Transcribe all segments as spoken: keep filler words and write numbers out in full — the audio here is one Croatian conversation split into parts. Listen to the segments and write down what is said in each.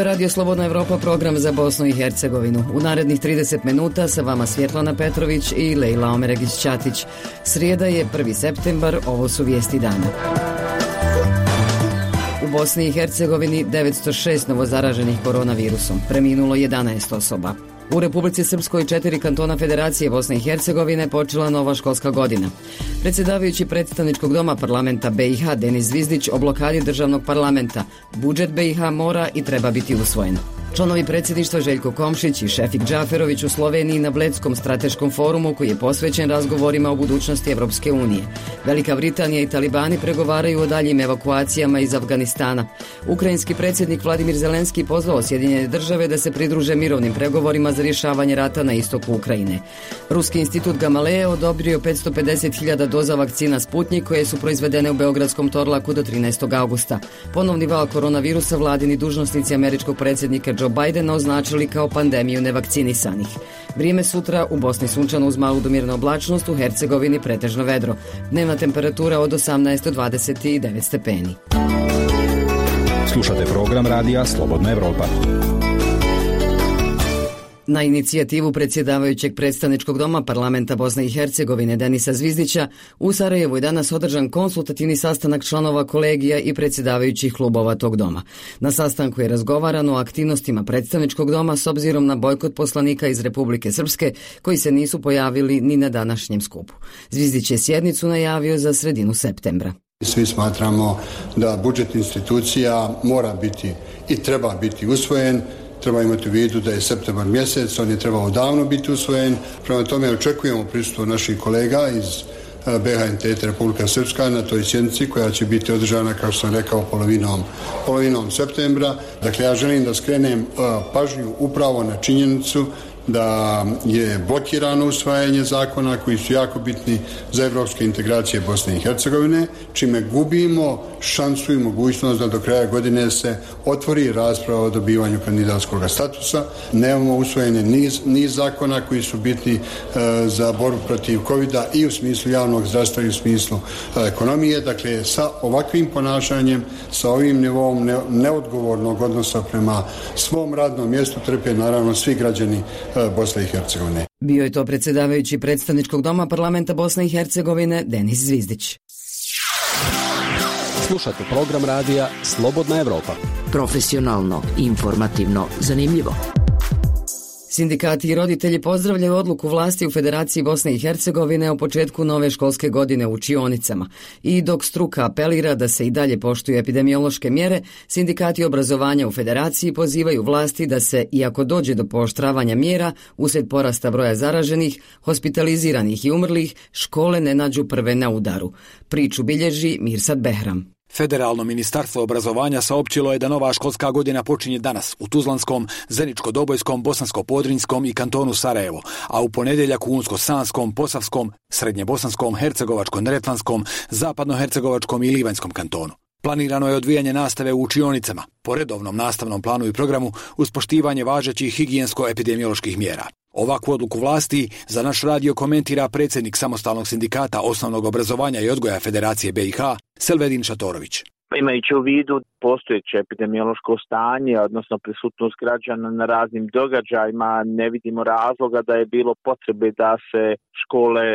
je Radio Slobodna Evropa, program za Bosnu i Hercegovinu. U narednih trideset minuta sa vama Svjetlana Petrović i Lejla Omeregić-Ćatić. Srijeda je prvi septembar, ovo su vijesti dana. U Bosni i Hercegovini devetsto šest novozaraženih koronavirusom, preminulo jedanaest osoba. U Republici Srpskoj četiri kantona Federacije Bosne i Hercegovine počela nova školska godina. Predsjedavajući predstavničkog doma parlamenta B i H Denis Zvizdić o blokadi državnog parlamenta. Budžet B i H mora i treba biti usvojen. Članovi predsjedništva Željko Komšić i Šefik Džaferović u Sloveniji na Bledskom strateškom forumu koji je posvećen razgovorima o budućnosti Evropske unije. Velika Britanija i talibani pregovaraju o daljim evakuacijama iz Afganistana. Ukrajinski predsjednik Vladimir Zelenski pozvao Sjedinjene države da se pridruže mirovnim pregovorima za rješavanje rata na istoku Ukrajine. Ruski institut Gamaleje odobrio petsto pedeset hiljada doza vakcina Sputnjik koje su proizvedene u beogradskom Torlaku do trinaestog augusta. Ponovni val koronavirusa vladini dužnosnici američkog predsjednika Joe Bidena označili kao pandemiju nevakcinisanih. Vrijeme sutra u Bosni sunčano uz malu do mirnu oblačnost, u Hercegovini pretežno vedro. Dnevna temperatura od osamnaest do dvadeset devet stepeni. Slušate program radija Slobodna Evropa. Na inicijativu predsjedavajućeg predstavničkog doma parlamenta Bosne i Hercegovine Denisa Zvizdića u Sarajevu je danas održan konsultativni sastanak članova kolegija i predsjedavajućih klubova tog doma. Na sastanku je razgovarano o aktivnostima predstavničkog doma s obzirom na bojkot poslanika iz Republike Srpske koji se nisu pojavili ni na današnjem skupu. Zvizdić je sjednicu najavio za sredinu septembra. Svi smatramo da budžet institucija mora biti i treba biti usvojen. Treba imati u vidu da je septembar mjesec, on je trebao davno biti usvojen. Prema tome očekujemo prisustvo naših kolega iz B H N T Republika Srpska na toj sjednici koja će biti održana, kao što sam rekao, polovinom, polovinom septembra. Dakle, ja želim da skrenem pažnju upravo na činjenicu da je blokirano usvajanje zakona koji su jako bitni za evropske integracije Bosne i Hercegovine, čime gubimo šansu i mogućnost da do kraja godine se otvori rasprava o dobivanju kandidatskog statusa. Nemamo usvojene niz, niz zakona koji su bitni e, za borbu protiv kovida i u smislu javnog zdravstva i u smislu e, ekonomije. Dakle, sa ovakvim ponašanjem, sa ovim nivom ne, neodgovornog odnosa prema svom radnom mjestu trpe naravno svi građani Bosne i Hercegovine. Bio je to predsjedavajući predstavničkog doma parlamenta Bosne i Hercegovine Denis Zvizdić. Slušate program radija Slobodna Evropa. Profesionalno, informativno, zanimljivo. Sindikati i roditelji pozdravljaju odluku vlasti u Federaciji Bosne i Hercegovine o početku nove školske godine u učionicama. I dok struka apelira da se i dalje poštuju epidemiološke mjere, sindikati obrazovanja u Federaciji pozivaju vlasti da se, iako dođe do pooštravanja mjera, uslijed porasta broja zaraženih, hospitaliziranih i umrlih, škole ne nađu prve na udaru. Priču bilježi Mirsad Behram. Federalno ministarstvo obrazovanja saopćilo je da nova školska godina počinje danas u Tuzlanskom, Zeničko-Dobojskom, Bosansko-Podrinjskom i kantonu Sarajevo, a u ponedjeljak u Unsko-Sanskom, Posavskom, Srednjebosanskom, Hercegovačko-Neretvanskom, Zapadno-Hercegovačkom i Livanjskom kantonu. Planirano je odvijanje nastave u učionicama, po redovnom nastavnom planu i programu uz poštivanje važećih higijensko-epidemioloških mjera. Ovakvu odluku vlasti za naš radio komentira predsjednik samostalnog sindikata osnovnog obrazovanja i odgoja Federacije B i H Selvedin Šatorović. Imajući u vidu postojeće epidemiološko stanje, odnosno prisutnost građana na raznim događajima, ne vidimo razloga da je bilo potrebe da se škole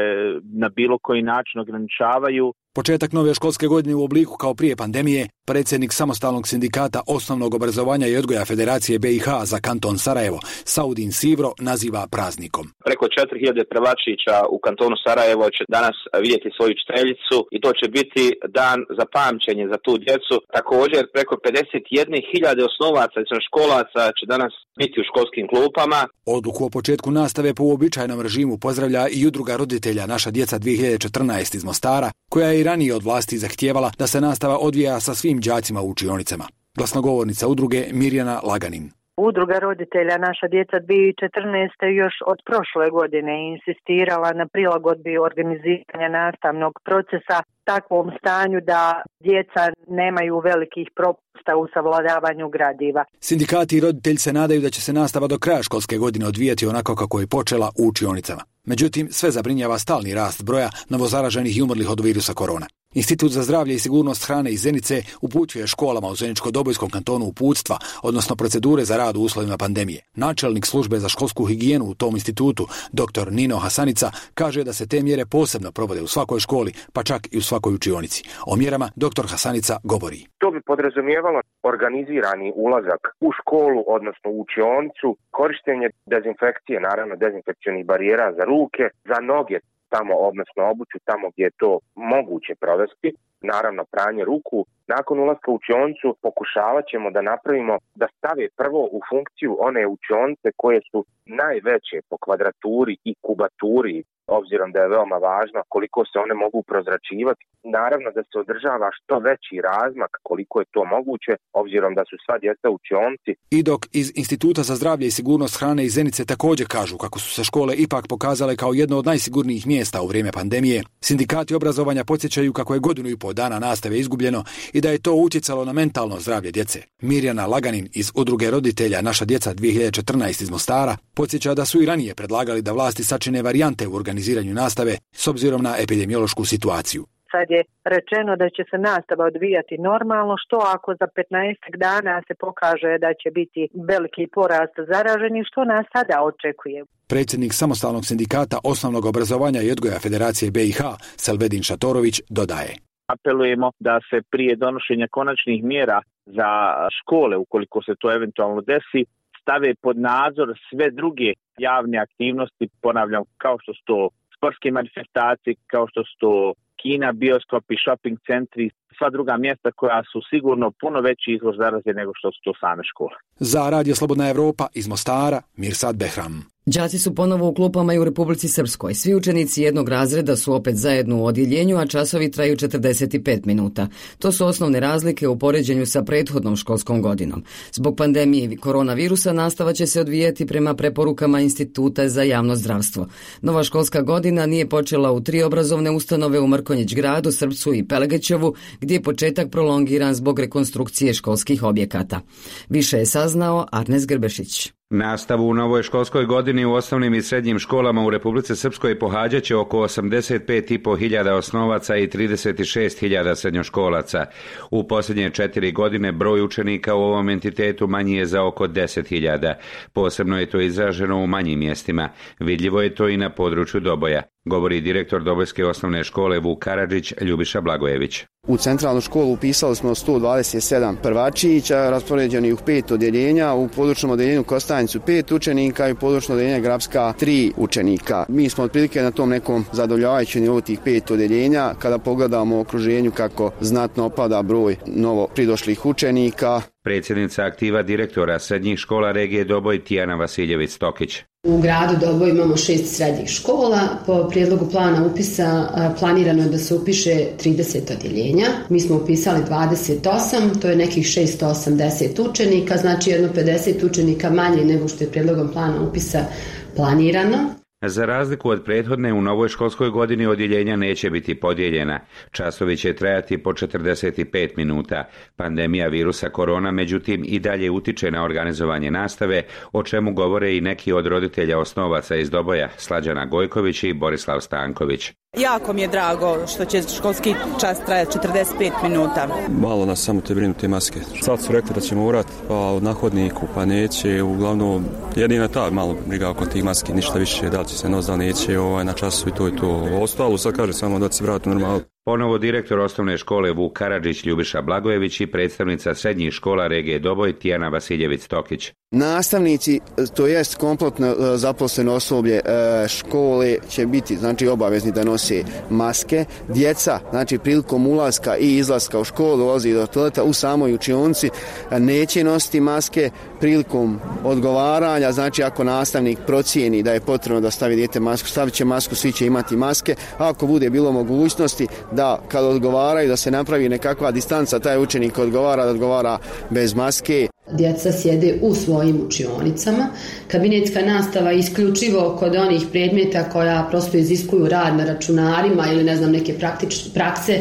na bilo koji način ograničavaju. Početak nove školske godine u obliku kao prije pandemije, predsjednik samostalnog sindikata osnovnog obrazovanja i odgoja Federacije B i H za kanton Sarajevo, Saudin Sivro, naziva praznikom. Preko četiri hiljade prvačića u kantonu Sarajevo će danas vidjeti svoju učiteljicu i to će biti dan za pamćenje za tu djecu. Također preko pedeset jedne hiljade osnovaca i školaca će danas biti u školskim klupama. Odluku o početku nastave po uobičajenom režimu pozdravlja i udruga roditelja Naša djeca dvije hiljade četrnaest iz Mostara, koja je i ranije od vlasti zahtijevala da se nastava odvija sa svim đacima u učionicama. Glasnogovornica udruge Mirjana Laganin. Udruga roditelja Naša djeca dvije hiljade četrnaeste još od prošle godine insistirala na prilagodbi organiziranja nastavnog procesa takvom stanju da djeca nemaju velikih propusta u savladavanju gradiva. Sindikati i roditelji se nadaju da će se nastava do kraja školske godine odvijati onako kako je počela u učionicama. Međutim, sve zabrinjava stalni rast broja novozaraženih i umrlih od virusa korona. Institut za zdravlje i sigurnost hrane iz Zenice upućuje školama u Zeničko-Dobojskom kantonu uputstva, odnosno procedure za rad u uslovima pandemije. Načelnik službe za školsku higijenu u tom institutu, dr. Nino Hasanica, kaže da se te mjere posebno provode u svakoj školi, pa čak i u svakoj učionici. O mjerama dr. Hasanica govori. To bi podrazumijevalo organizirani ulazak u školu, odnosno u učionicu, korištenje dezinfekcije, naravno dezinfekcionih barijera za ruke, za noge, tamo, odnosno obuću tamo gdje je to moguće provesti, naravno pranje ruku. Nakon ulaska u učionicu pokušavat ćemo da napravimo, da stave prvo u funkciju one učionice koje su najveće po kvadraturi i kubaturi, obzirom da je veoma važno koliko se one mogu prozračivati. Naravno da se održava što veći razmak koliko je to moguće, obzirom da su sva djeca u učionici. I dok iz Instituta za zdravlje i sigurnost hrane iz Zenice također kažu kako su se škole ipak pokazale kao jedno od najsigurnijih mjesta u vrijeme pandemije, sindikati obrazovanja podsjećaju kako je godinu i pol dana nastave izgubljeno i da je to utjecalo na mentalno zdravlje djece. Mirjana Laganin iz Udruge roditelja Naša djeca dvije hiljade četrnaeste iz Mostara podsjeća da su i ranije predlagali da vlasti sačine varijante u organiziranju nastave s obzirom na epidemiološku situaciju. Sad je rečeno da će se nastava odvijati normalno, što ako za petnaest dana se pokaže da će biti veliki porast zaraženih, što nas sada očekuje. Predsjednik samostalnog sindikata osnovnog obrazovanja i odgoja Federacije B i H, Selvedin Šatorović, dodaje. Apelujemo da se prije donošenja konačnih mjera za škole, ukoliko se to eventualno desi, stave pod nadzor sve druge javne aktivnosti, ponavljam, kao što su to sportske manifestacije, kao što su to kina, bioskopi, shopping centri, sva druga mjesta koja su sigurno puno veći izvor zaraze nego što su to same škole. Za Radio Slobodna Evropa iz Mostara, Mirsad Behram. Đaci su ponovo u klupama i u Republici Srpskoj. Svi učenici jednog razreda su opet zajedno u odjeljenju, a časovi traju četrdeset pet minuta. To su osnovne razlike u poređenju sa prethodnom školskom godinom. Zbog pandemije koronavirusa nastava će se odvijati prema preporukama Instituta za javno zdravstvo. Nova školska godina nije počela u tri obrazovne ustanove u Mrkonjić gradu, Srpcu i Pelegećevu, gdje je početak prolongiran zbog rekonstrukcije školskih objekata. Više je saznao Arnes Grbešić. Nastavu u novoj školskoj godini u osnovnim i srednjim školama u Republici Srpskoj pohađat će oko osamdeset pet i po hiljada osnovaca i trideset šest hiljada srednjoškolaca. U posljednje četiri godine broj učenika u ovom entitetu manji je za oko deset hiljada. Posebno je to izraženo u manjim mjestima. Vidljivo je to i na području Doboja, govori direktor Dobojske osnovne škole Vuk Karadžić Ljubiša Blagojević. U centralnu školu upisali smo sto dvadeset sedam prvačića, raspoređeni u pet odjeljenja, u područnom odjeljenju Kostanjicu pet učenika i u područnom odjeljenju Grabska tri učenika. Mi smo otprilike na tom nekom zadovoljavajućem nivou tih pet odjeljenja, kada pogledamo u okruženju kako znatno opada broj novo pridošlih učenika. Predsjednica aktiva direktora srednjih škola regije Doboj Tijana Vasiljević-Stokić. U gradu Doboj imamo šest srednjih škola. Po prijedlogu plana upisa planirano je da se upiše trideset odjeljenja. Mi smo upisali dvadeset osam, to je nekih šesto osamdeset učenika, znači jedno pedeset učenika manje nego što je prijedlogom plana upisa planirano. Za razliku od prethodne, u novoj školskoj godini odjeljenja neće biti podijeljena. Časovi će trajati po četrdeset pet minuta. Pandemija virusa korona, međutim, i dalje utiče na organizovanje nastave, o čemu govore i neki od roditelja osnovaca iz Doboja, Slađana Gojković i Borislav Stanković. Jako mi je drago što će školski čas trajati četrdeset pet minuta. Malo nas samo te brinu te maske. Sad su rekli da ćemo urati pa na hodniku, pa neće. Uglavnom, jedina ta malo briga oko tih maske, ništa više, da li će se nos, da neće ovaj, na času i to i to. Ostalo sad kaže samo da će se vratiti normalno. Ponovo direktor osnovne škole Vuk Karadžić Ljubiša Blagojević i predstavnica srednjih škola regije Doboj Tijana Vasiljević-Stokić. Nastavnici, to jest kompletno zaposleno osoblje škole će biti znači obavezni da nose maske. Djeca, znači prilikom ulaska i izlaska u školu, dolazi do toaleta u samoj učionici, neće nositi maske. Prilikom odgovaranja, znači ako nastavnik procijeni da je potrebno da stavi dijete masku, stavit će masku, svi će imati maske. A ako bude bilo mogućnosti da kad odgovaraju da se napravi nekakva distanca, taj učenik odgovara da odgovara bez maske. Djeca sjede u svojim učionicama. Kabinetska nastava je isključivo kod onih predmeta koja prosto iziskuju rad na računarima ili ne znam neke praktične prakse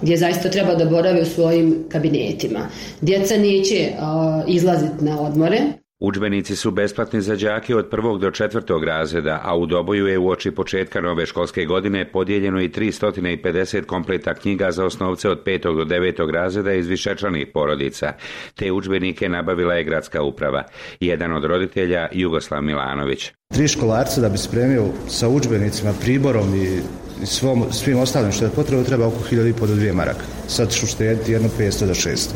gdje zaista treba da borave u svojim kabinetima. Djeca neće uh, izlaziti na odmore. Udžbenici su besplatni za đake od prvog do četvrtog razreda, a u Doboju je uoči početka nove školske godine podijeljeno i tristo pedeset kompleta knjiga za osnovce od petog do devetog razreda iz višečlanih porodica. Te udžbenike nabavila je gradska uprava. Jedan od roditelja, Jugoslav Milanović. Tri školarca da bi spremio sa udžbenicima, priborom i svom, svim ostalim što je potrebno treba oko hiljadu i po do dvije maraka. Sad ću štediti jedno petsto do šesto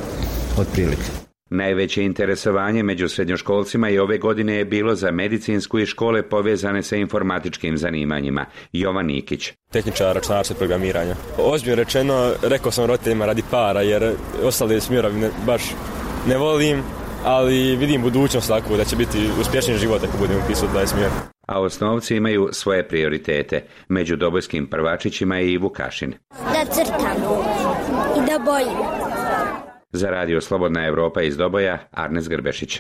otprilike. Najveće interesovanje među srednjoškolcima i ove godine je bilo za medicinsku i škole povezane sa informatičkim zanimanjima. Jovan Nikić. Tehničar računarstva i programiranja. Ozbiljno rečeno, rekao sam roditeljima radi para, jer ostale smjerovi ne, baš ne volim, ali vidim budućnost tako da će biti uspješni život ako budemo upisati taj smjer. A osnovci imaju svoje prioritete. Među dobojskim prvačićima je i Vukašin. Da crtam i da bojim. Za radio Slobodna Evropa iz Doboja, Arnes Grbešić.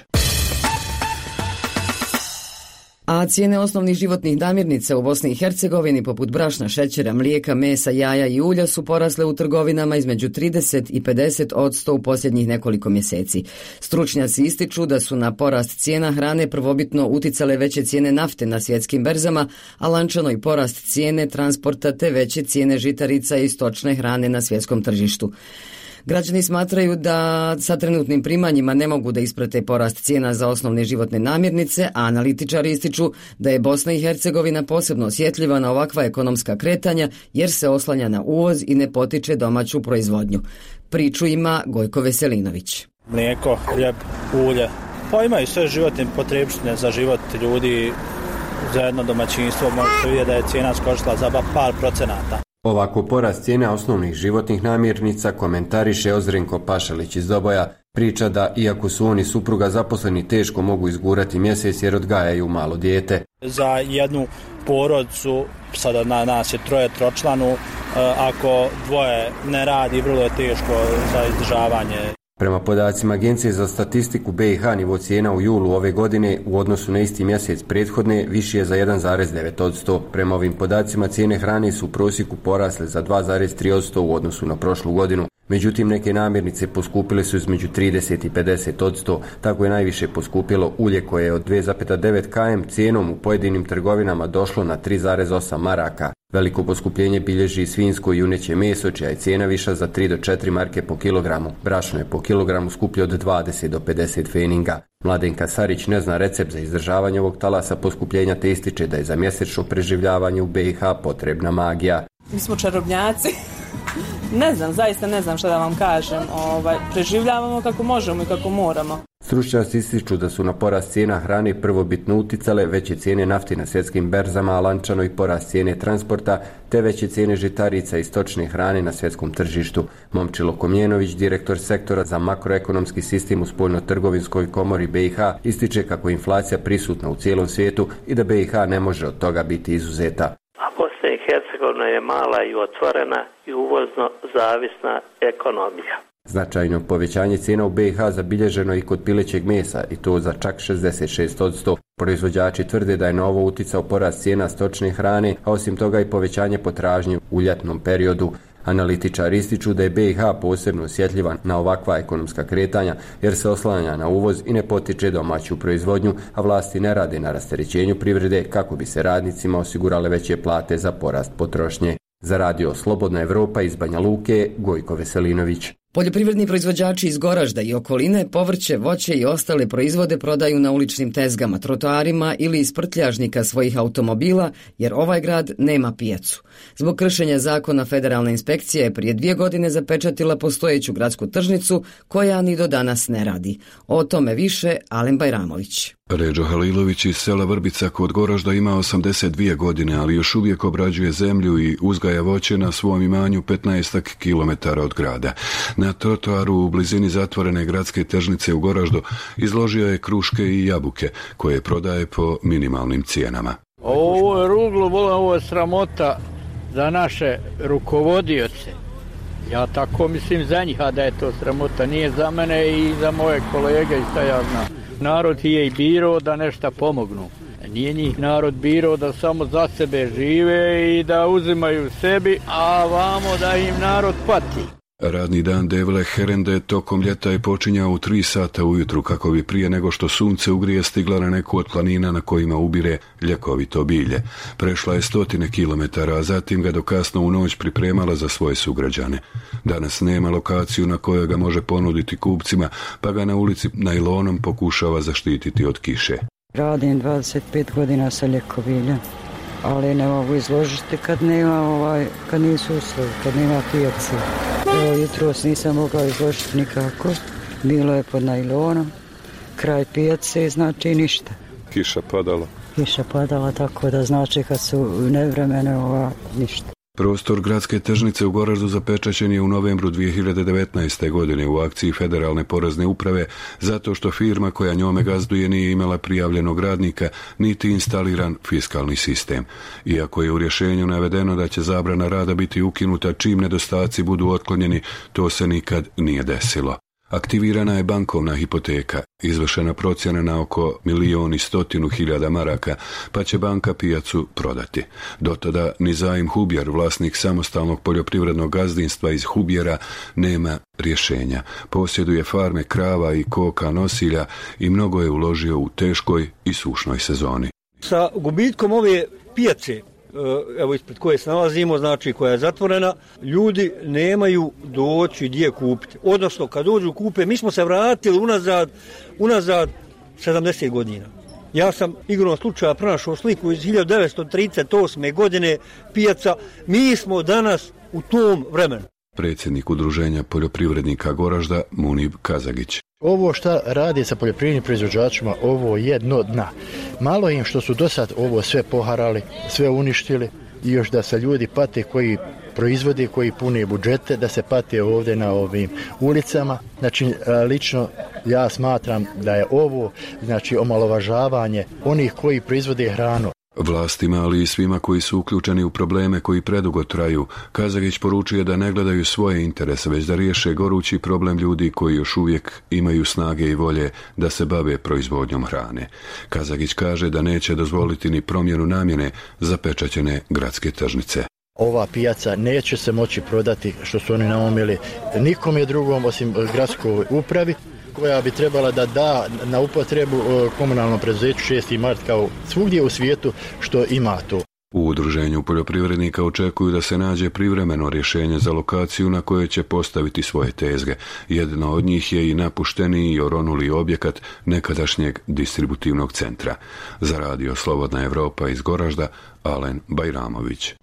A cijene osnovnih životnih namirnica u Bosni i Hercegovini poput brašna, šećera, mlijeka, mesa, jaja i ulja su porasle u trgovinama između trideset i pedeset odsto u posljednjih nekoliko mjeseci. Stručnjaci ističu da su na porast cijena hrane prvobitno uticale veće cijene nafte na svjetskim berzama, a lančano i porast cijene transporta te veće cijene žitarica i stočne hrane na svjetskom tržištu. Građani smatraju da sa trenutnim primanjima ne mogu da isprate porast cijena za osnovne životne namirnice, a analitičari ističu da je Bosna i Hercegovina posebno osjetljiva na ovakva ekonomska kretanja jer se oslanja na uvoz i ne potiče domaću proizvodnju. Priču ima Gojko Veselinović. Mlijeko, hljeb, ulje, pa imaju sve životne potrebštine za život ljudi, za jedno domaćinstvo. Možete vidjeti da je cijena skočila za par procenata. Ovako porast cijena osnovnih životnih namirnica komentariše Ozrenko Pašalić iz Doboja. Priča da, iako su oni supruga zaposleni, teško mogu izgurati mjesec jer odgajaju malo dijete. Za jednu porodicu, sada na nas je troje tročlanu, ako dvoje ne radi, vrlo je teško za izdržavanje. Prema podacima Agencije za statistiku B i H, nivo cijena u julu ove godine u odnosu na isti mjesec prethodne viši je za jedan zarez devet odsto. Prema ovim podacima cijene hrane su u prosjeku porasle za dva zarez tri odsto u odnosu na prošlu godinu. Međutim, neke namirnice poskupile su između trideset i pedeset odsto. Tako je najviše poskupilo ulje koje je od dva zarez devet kilograma cijenom u pojedinim trgovinama došlo na tri zarez osam maraka. Veliko poskupljenje bilježi svinjsko i juneće meso, čija je cijena viša za tri do četiri marke po kilogramu. Brašno je po kilogramu skuplje od dvadeset do pedeset feninga. Mladenka Sarić ne zna recept za izdržavanje ovog talasa poskupljenja te ističe da je za mjesečno preživljavanje u B i H potrebna magija. Mi smo čarobnjaci. Ne znam, zaista ne znam šta da vam kažem. Ovaj, preživljavamo kako možemo i kako moramo. Stručnjaci ističu da su na porast cijena hrane prvobitno uticale veće cijene nafte na svjetskim berzama, a lančano i porast cijene transporta, te veće cijene žitarica i stočne hrane na svjetskom tržištu. Momčilo Komjenović, direktor sektora za makroekonomski sistem u Spoljno-trgovinskoj komori B i H, ističe kako je inflacija prisutna u cijelom svijetu i da B i H ne može od toga biti izuzeta. A Bosna i Hercegovina je mala i otvorena i uvozno zavisna ekonomija. Značajno povećanje cijena u B i H zabilježeno i kod pilećeg mesa i to za čak šezdeset šest odsto. Proizvođači tvrde da je na ovo uticao porast cijena stočne hrane, a osim toga i povećanje potražnje u ljetnom periodu. Analitičari ističu da je B i H posebno osjetljiva na ovakva ekonomska kretanja jer se oslanja na uvoz i ne potiče domaću proizvodnju, a vlasti ne rade na rasterećenju privrede kako bi se radnicima osigurale veće plate za porast potrošnje. Za radio Slobodna Evropa iz Banja Luke, Gojko Veselinović. Poljoprivredni proizvođači iz Goražda i okoline povrće, voće i ostale proizvode prodaju na uličnim tezgama, trotoarima ili iz prtljažnika svojih automobila, jer ovaj grad nema pijacu. Zbog kršenja zakona federalna inspekcija je prije dvije godine zapečatila postojeću gradsku tržnicu koja ni do danas ne radi. O tome više Alen Bajramović. Ređo Halilović iz sela Vrbica kod Goražda ima osamdeset dvije godine, ali još uvijek obrađuje zemlju i uzgaja voće na svom imanju petnaest kilometara od grada. Na trotoaru u blizini zatvorene gradske tržnice u Goraždu izložio je kruške i jabuke koje prodaje po minimalnim cijenama. Ovo je ruglo, ovo je sramota za naše rukovodioce. Ja tako mislim za njih, a da je to sramota. Nije za mene i za moje kolege i šta ja znam. Narod je i birao da nešto pomognu. Nije njih narod birao da samo za sebe žive i da uzimaju sebi, a vamo da im narod pati. Radni dan Devle Herende tokom ljeta je počinjao u tri sata ujutru kako bi prije nego što sunce ugrije stigla na neku od planina na kojima ubire ljekovito bilje. Prešla je stotine kilometara, a zatim ga do kasno u noć pripremala za svoje sugrađane. Danas nema lokaciju na kojoj ga može ponuditi kupcima, pa ga na ulici najlonom pokušava zaštititi od kiše. Radim dvadeset pet godina sa ljekobiljem, ali ne mogu izložiti kad nema ovaj, kad nisu uslovi, kad nema pijace. Evo, jutros nisam mogao izložiti nikako, bilo je pod najlonom, kraj pijace, znači ništa. Kiša padala. Kiša padala, tako da znači kad su nevremene ova, ništa. Prostor gradske tržnice u Goraždu zapečaćen je u novembru dvije hiljade devetnaeste. godine u akciji Federalne porezne uprave zato što firma koja njome gazduje nije imala prijavljenog radnika niti instaliran fiskalni sistem. Iako je u rješenju navedeno da će zabrana rada biti ukinuta čim nedostaci budu otklonjeni, to se nikad nije desilo. Aktivirana je bankovna hipoteka, izvršena procjena na oko milijon i stotinu hiljada maraka, pa će banka pijacu prodati. Do tada Nizaim Hubjer, vlasnik samostalnog poljoprivrednog gazdinstva iz Hubjera, nema rješenja. Posjeduje farme krava i koka nosilja i mnogo je uložio u teškoj i sušnoj sezoni. Sa gubitkom ove pijace, evo ispred koje se nalazimo, znači koja je zatvorena, ljudi nemaju doći gdje kupiti. Odnosno, kad dođu kupe, mi smo se vratili unazad, unazad sedamdeset godina. Ja sam igrom slučaja pronašao sliku iz hiljadu devetsto trideset osme. godine, pijaca. Mi smo danas u tom vremenu. Predsjednik Udruženja poljoprivrednika Goražda Munib Kazagić. Ovo šta radi sa poljoprivrednim proizvođačima, ovo je dno dna. Malo im što su do sad ovo sve poharali, sve uništili i još da se ljudi pate koji proizvode, koji pune budžete, da se pate ovdje na ovim ulicama. Znači, lično ja smatram da je ovo, znači, omalovažavanje onih koji proizvode hranu. Vlastima, ali i svima koji su uključeni u probleme koji predugo traju, Kazagić poručuje da ne gledaju svoje interese, već da riješe gorući problem ljudi koji još uvijek imaju snage i volje da se bave proizvodnjom hrane. Kazagić kaže da neće dozvoliti ni promjenu namjene zapečaćene gradske tržnice. Ova pijaca neće se moći prodati, što su oni naumili, nikom je drugom osim gradskoj upravi, koja bi trebala da da na upotrebu komunalnom preduzeću šesti mart kao svugdje u svijetu što ima to. U Udruženju poljoprivrednika očekuju da se nađe privremeno rješenje za lokaciju na kojoj će postaviti svoje tezge. Jedna od njih je i napušteni i oronuli objekat nekadašnjeg distributivnog centra. Za radio Slobodna Evropa iz Goražda, Alen Bajramović.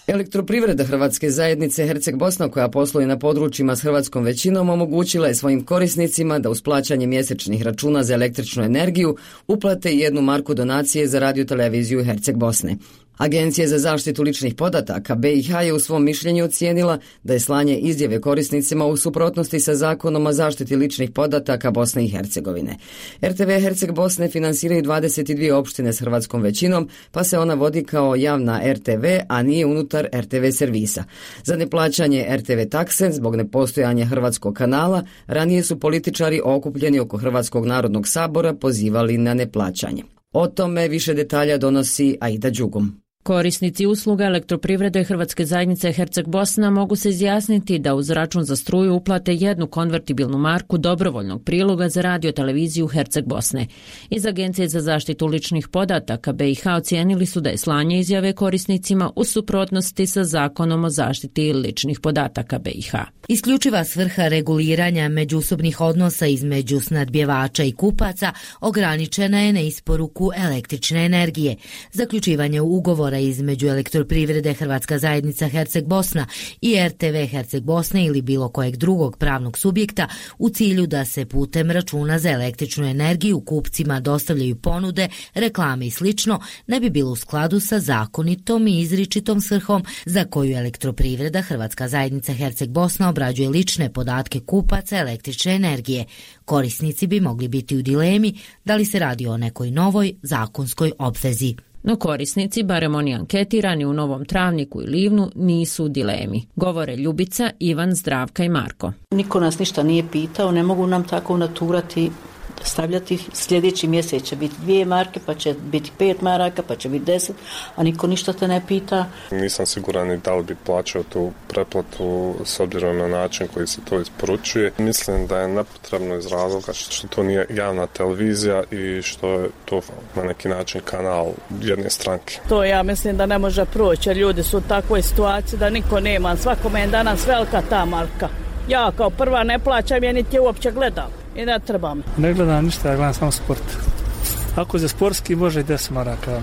Elektroprivreda Hrvatske zajednice Herceg Bosna, koja posluje na područjima s hrvatskom većinom, omogućila je svojim korisnicima da uz plaćanje mjesečnih računa za električnu energiju uplate jednu marku donacije za radioteleviziju Herceg Bosne. Agencija za zaštitu ličnih podataka B i H je u svom mišljenju ocijenila da je slanje izjave korisnicima u suprotnosti sa Zakonom o zaštiti ličnih podataka Bosne i Hercegovine. R T V Herceg Bosne finansiraju dvadeset dvije opštine s hrvatskom većinom, pa se ona vodi kao javna R T V, a nije unutar R T V servisa. Za neplaćanje R T V takse zbog nepostojanja hrvatskog kanala, ranije su političari okupljeni oko Hrvatskog narodnog sabora pozivali na neplaćanje. O tome više detalja donosi Aida Đugum. Korisnici usluga elektroprivrede Hrvatske zajednice Herceg Bosna mogu se izjasniti da uz račun za struju uplate jednu konvertibilnu marku dobrovoljnog priloga za radioteleviziju Herceg Bosne. Iz Agencije za zaštitu ličnih podataka B i H ocijenili su da je slanje izjave korisnicima u suprotnosti sa Zakonom o zaštiti ličnih podataka B i H. Isključiva svrha reguliranja međusobnih odnosa između snadbjevača i kupaca ograničena je na isporuku električne energije. Zaključivanje ugovora između Elektroprivrede Hrvatska zajednica Herceg Bosna i R T V Herceg Bosne ili bilo kojeg drugog pravnog subjekta u cilju da se putem računa za električnu energiju kupcima dostavljaju ponude, reklame i slično ne bi bilo u skladu sa zakonitom i izričitom svrhom za koju Elektroprivreda Hrvatska zajednica Herceg Bosna obrađuje lične podatke kupaca električne energije. Korisnici bi mogli biti u dilemi da li se radi o nekoj novoj zakonskoj obvezi. No korisnici, barem oni anketirani u Novom Travniku i Livnu, nisu u dilemi. Govore Ljubica, Ivan, Zdravka i Marko. Niko nas ništa nije pitao, ne mogu nam tako naturati stavljati. Sljedeći mjesec će biti dvije marke, pa će biti pet maraka, pa će biti deset, a niko ništa te ne pita. Nisam siguran i da li bi plaćao tu pretplatu s obzirom na način koji se to isporučuje. Mislim da je nepotrebno iz razloga što to nije javna televizija i što je to na neki način kanal jedne stranke. To ja mislim da ne može proći, jer ljudi su u takvoj situaciji da niko nema. Svakome je danas velika ta marka. Ja kao prva ne plaćam, ja niti je uopće gledam i ne trebam. Ne gledam ništa, ja gledam samo sport. Ako za sportski može i deset maraka,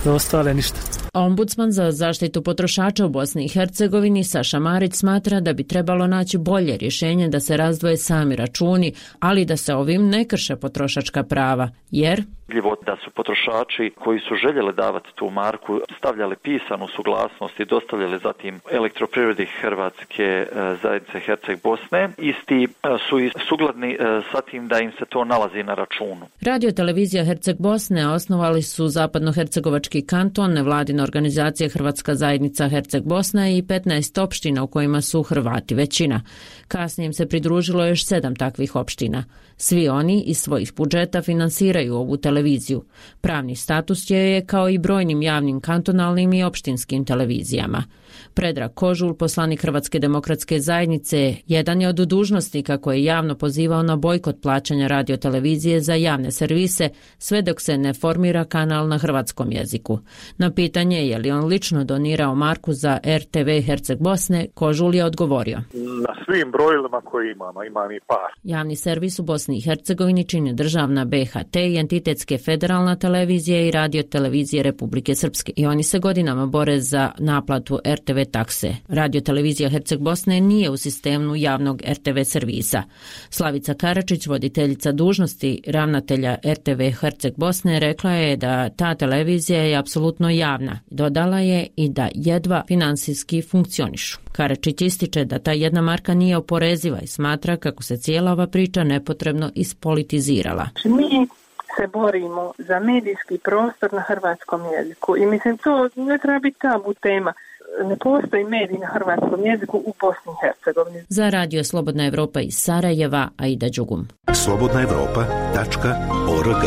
za ostale ništa. Ombudsman za zaštitu potrošača u Bosni i Hercegovini Saša Marić smatra da bi trebalo naći bolje rješenje da se razdvoje sami računi, ali da se ovim ne krše potrošačka prava, jer da su potrošači koji su željeli davati tu marku stavljali pisanu suglasnost i dostavljali zatim Elektroprivredi Hrvatske zajednice Herceg Bosne, isti su i sugladni sa tim da im se to nalazi na računu. Radio televizija Herceg Bosne osnovali su Zapadnohercegovački kanton, nevladina organizacija Hrvatska zajednica Herceg Bosna i petnaest opština u kojima su Hrvati većina. Kasnije im se pridružilo još sedam takvih opština. Svi oni iz svojih budžeta finansiraju ovu televiziju. Pravni status je kao i brojnim javnim kantonalnim i opštinskim televizijama. Predrag Kožul, poslanik Hrvatske demokratske zajednice, jedan je od dužnosnika koji je javno pozivao na bojkot plaćanja radiotelevizije za javne servise, sve dok se ne formira kanal na hrvatskom jeziku. Na pitanje je li on lično donirao marku za R T V Herceg Bosne, Kožul je odgovorio: na svim brojilima koje imamo, imam i par. Javni servis u Bosni i Hercegovini čini državna B H T i entitetske federalna televizija i radio televizije Republike Srpske. I oni se godinama bore za naplatu R T V takse. Radio televizija Herceg Bosne nije u sistemu javnog R T V servisa. Slavica Karačić, voditeljica dužnosti ravnatelja R T V Herceg Bosne, rekla je da ta televizija je apsolutno javna. Dodala je i da jedva finansijski funkcionišu. Karačić ističe da ta jedna marka nije oporeziva i smatra kako se cijela ova priča nepotrebno ispolitizirala. Mi se borimo za medijski prostor na hrvatskom jeziku i mislim to ne treba biti tabu tema. Ne postoji medij na hrvatskom jeziku u Bosni i Hercegovini. Za radio Slobodna Evropa iz Sarajeva, Aida Đugum. slobodna evropa tačka org.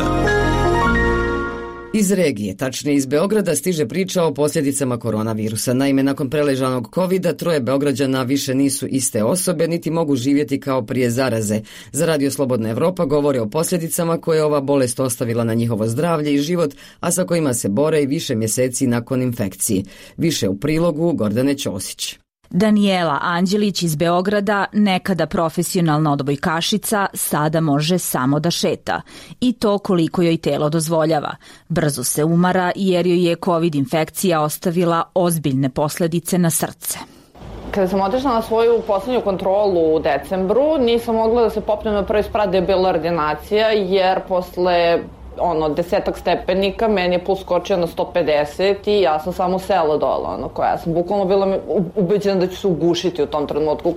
Iz regije, tačnije iz Beograda, stiže priča o posljedicama koronavirusa. Naime, nakon preležanog kovida, troje Beograđana više nisu iste osobe, niti mogu živjeti kao prije zaraze. Za radio Slobodna Evropa govore o posljedicama koje je ova bolest ostavila na njihovo zdravlje i život, a sa kojima se bore i više mjeseci nakon infekcije. Više u prilogu Gordane Ćosić. Danijela Anđelić iz Beograda, nekada profesionalna odbojkašica, sada može samo da šeta. I to koliko joj telo dozvoljava. Brzo se umara jer joj je COVID infekcija ostavila ozbiljne posljedice na srce. Kada sam otišla na svoju posljednju kontrolu u decembru, nisam mogla da se popnem na prvi sprat, je bila ordinacija, jer posle ono, desetak stepenika, meni je puls skočio na sto pedeset i ja sam samo sela dole, ono, koja sam bukvalno bila ubeđena da ću se ugušiti u tom trenutku.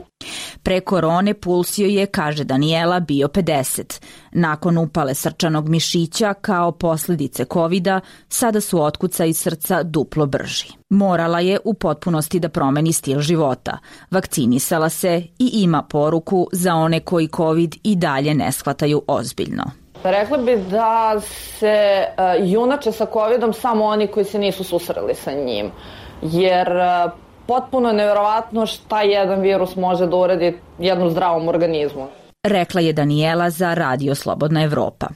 Pre korone puls joj je, kaže Danijela, bio pedeset. Nakon upale srčanog mišića kao posljedice kovida, sada su otkucaji srca duplo brži. Morala je u potpunosti da promeni stil života. Vakcinisala se i ima poruku za one koji covid i dalje ne shvataju ozbiljno. Rekla bi da se uh, junače sa covidom samo oni koji se nisu susreli sa njim, jer uh, potpuno je nevjerovatno šta jedan virus može da uredi jednom zdravom organizmu. Rekla je Danijela za Radio Slobodna Evropa.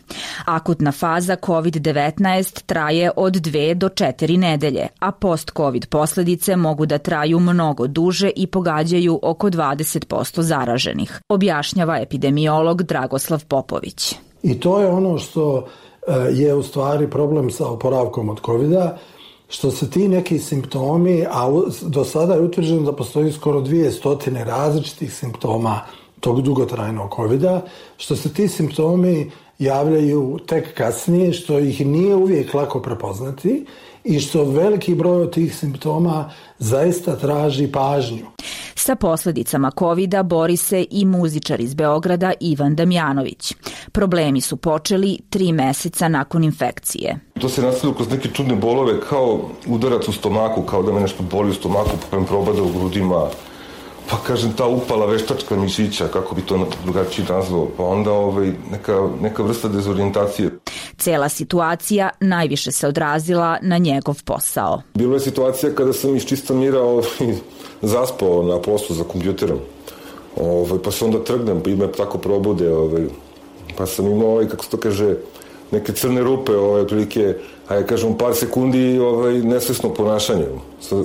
Akutna faza kovid devetnaest traje od dve do četiri nedelje, a post-covid posljedice mogu da traju mnogo duže i pogađaju oko dvadeset posto zaraženih, objašnjava epidemiolog Dragoslav Popović. I to je ono što je u stvari problem sa oporavkom od kovida, što se ti neki simptomi, a do sada je utvrđeno da postoji skoro dvije stotine različitih simptoma tog dugotrajnog kovida, što se ti simptomi javljaju tek kasnije, što ih nije uvijek lako prepoznati i što veliki broj od tih simptoma zaista traži pažnju. Sa posljedicama kovida bori se i muzičar iz Beograda Ivan Damjanović. Problemi su počeli tri meseca nakon infekcije. To se nastavilo kroz neke čudne bolove, kao udarac u stomaku, kao da me nešto boli u stomaku, pa me probada u grudima. pa kažem ta upala veštačka mišića, kako bi to drugačije nazvao, pa onda ovaj, neka, neka vrsta dezorijentacije. Cela situacija najviše se odrazila na njegov posao. Bilo je situacija kada sam iz čista mira ovaj, zaspao na poslu za kompjuterom, ovaj, pa se onda trgnem, pa me tako probude, ovaj, pa sam imao, ovaj, kako se to kaže, neke crne rupe, ovaj, otprilike, ajde kažem, par sekundi ovaj, nesvesno ponašanje.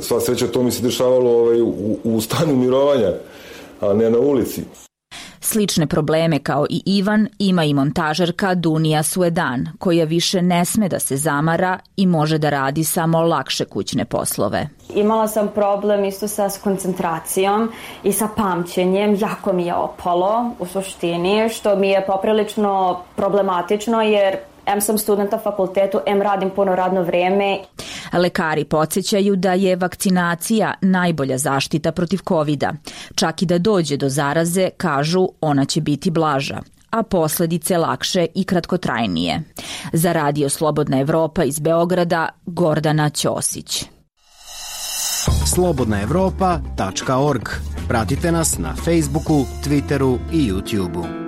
Sva sreća to mi se dešavalo ovaj, u, u stanju mirovanja, a ne na ulici. Slične probleme kao i Ivan ima i montažerka Dunija Suedan, koja više ne sme da se zamara i može da radi samo lakše kućne poslove. Imala sam problem isto sa koncentracijom i sa pamćenjem, jako mi je opalo u suštini, što mi je poprilično problematično jer em sam studenta fakultetu, em radim puno radno vreme. Lekari podsjećaju da je vakcinacija najbolja zaštita protiv kovida. Čak i da dođe do zaraze, kažu, ona će biti blaža, a posledice lakše i kratkotrajnije. Za Radio Slobodna Evropa iz Beograda, Gordana Ćosić. slobodna evropa tačka org. Pratite nas na Facebooku, Twitteru i YouTubeu.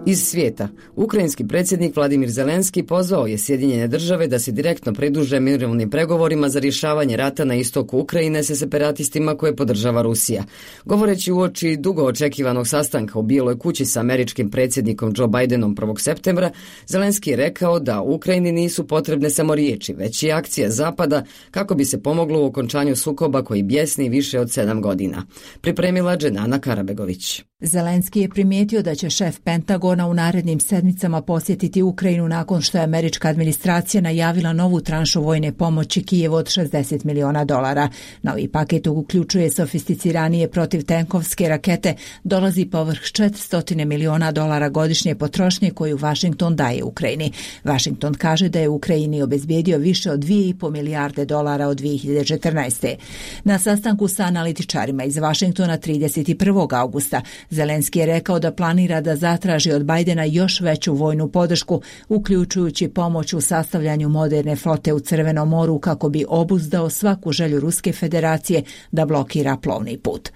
Iz svijeta, ukrajinski predsjednik Vladimir Zelenski pozvao je Sjedinjene države da se direktno pridruže mirovnim pregovorima za rješavanje rata na istoku Ukrajine sa separatistima koje podržava Rusija. Govoreći uoči dugo očekivanog sastanka u Bijeloj kući sa američkim predsjednikom Joe Bidenom prvog septembra, Zelenski je rekao da Ukrajini nisu potrebne samo riječi, već i akcije Zapada kako bi se pomoglo u okončanju sukoba koji bjesni više od sedam godina. Pripremila Dženana Karabegović. Zelenski je primijetio da će šef Pentagona u narednim sedmicama posjetiti Ukrajinu nakon što je američka administracija najavila novu tranšu vojne pomoći Kijevu od šezdeset miliona dolara. Novi paket uključuje sofisticiranije protivtenkovske rakete, dolazi povrh četiristo miliona dolara godišnje potrošnje koju Washington daje Ukrajini. Washington kaže da je Ukrajini obezbijedio više od dvije i po milijarde dolara od dvije hiljade četrnaeste. Na sastanku sa analitičarima iz Washingtona trideset prvog augusta Zelenski je rekao da planira da zatraži od Bajdena još veću vojnu podršku, uključujući pomoć u sastavljanju moderne flote u Crvenom moru kako bi obuzdao svaku želju Ruske federacije da blokira plovni put.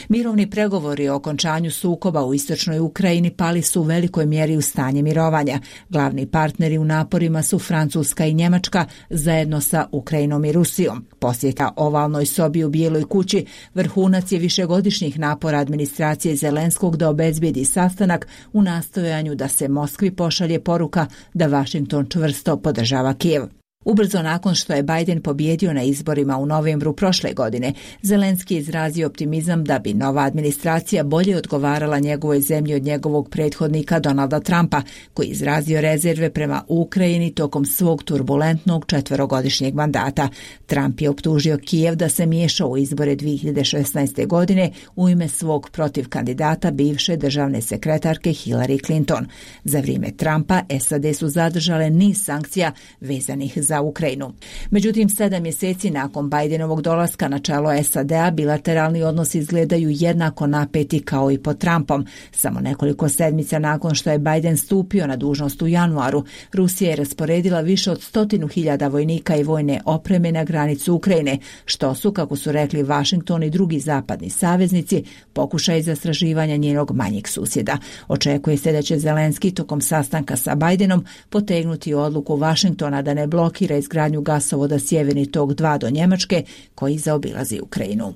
Mirovni pregovori o okončanju sukoba u istočnoj Ukrajini pali su u velikoj mjeri u stanje mirovanja. Glavni partneri u naporima su Francuska i Njemačka zajedno sa Ukrajinom i Rusijom. Posjeta ovalnoj sobi u Bijeloj kući vrhunac je višegodišnjih napora administracije Zelenskog da obezbijedi sastanak u nastojanju da se Moskvi pošalje poruka da Washington čvrsto podržava Kijev. Ubrzo nakon što je Biden pobjedio na izborima u novembru prošle godine, Zelenski je izrazio optimizam da bi nova administracija bolje odgovarala njegovoj zemlji od njegovog prethodnika Donalda Trumpa, koji je izrazio rezerve prema Ukrajini tokom svog turbulentnog četverogodišnjeg mandata. Trump je optužio Kijev da se miješao u izbore dvije hiljade šesnaeste. godine u ime svog protiv kandidata bivše državne sekretarke Hillary Clinton. Za vrijeme Trumpa S A D su zadržale niz sankcija vezanih za za Ukrajinu. Međutim, sedam mjeseci nakon Bidenovog dolaska na čelo S A D-a bilateralni odnosi izgledaju jednako napeti kao i pod Trumpom. Samo nekoliko sedmica nakon što je Biden stupio na dužnost u januaru, Rusija je rasporedila više od stotinu hiljada vojnika i vojne opreme na granicu Ukrajine, što su, kako su rekli Washington i drugi zapadni saveznici, pokušaj zastrašivanja njenog manjeg susjeda. Očekuje se da će Zelenski tokom sastanka sa Bidenom potegnuti odluku Washingtona da ne blokira izgradnju gasovoda Sjeverni tok dva do Njemačke koji zaobilazi Ukrajinu.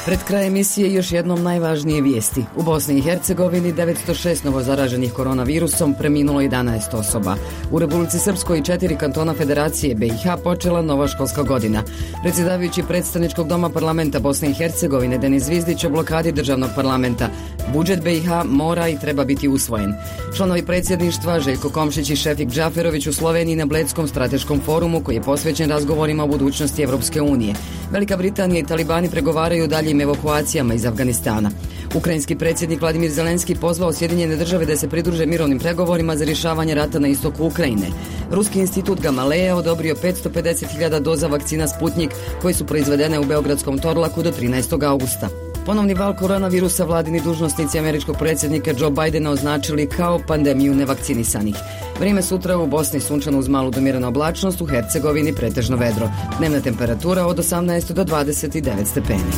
Pred kraj emisije još jednom najvažnije vijesti. U Bosni i Hercegovini devetsto šest novozaraženih koronavirusom, preminulo jedanaest osoba. U Republici Srpskoj i četiri kantona Federacije B i H počela nova školska godina. Predsjedavajući predstavničkog doma parlamenta Bosne i Hercegovine Denis Zvizdić o blokadi državnog parlamenta. Budžet B i H mora i treba biti usvojen. Članovi predsjedništva Željko Komšić i Šefik Džaferović u Sloveniji na Bledskom strateškom forumu koji je posvećen razgovorima o budućnosti Evropske unije. Velika Britanija i talibani pregovaraju dalje evakuacijama iz Afganistana. Ukrajinski predsjednik Vladimir Zelenski pozvao Sjedinjene države da se pridruže mirovnim pregovorima za rješavanje rata na istoku Ukrajine. Ruski institut Gamaleja odobrio petsto pedeset hiljada doza vakcina Sputnik koji su proizvedene u beogradskom Torlaku do trinaestog augusta. Ponovni val koronavirusa vladini dužnosnici američkog predsjednika Joe Bidena označili kao pandemiju nevakcinisanih. Vrijeme sutra u Bosni sunčano uz malu domiranu oblačnost, u Hercegovini pretežno vedro. Dnevna temperatura od osamnaest do dvadeset devet stepeni.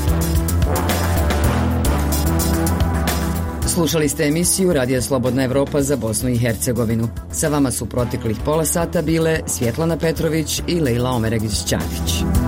Slušali ste emisiju Radija Slobodna Evropa za Bosnu i Hercegovinu. Sa vama su proteklih pola sata bile Svjetlana Petrović i Lejla Omeregić-Ćafić.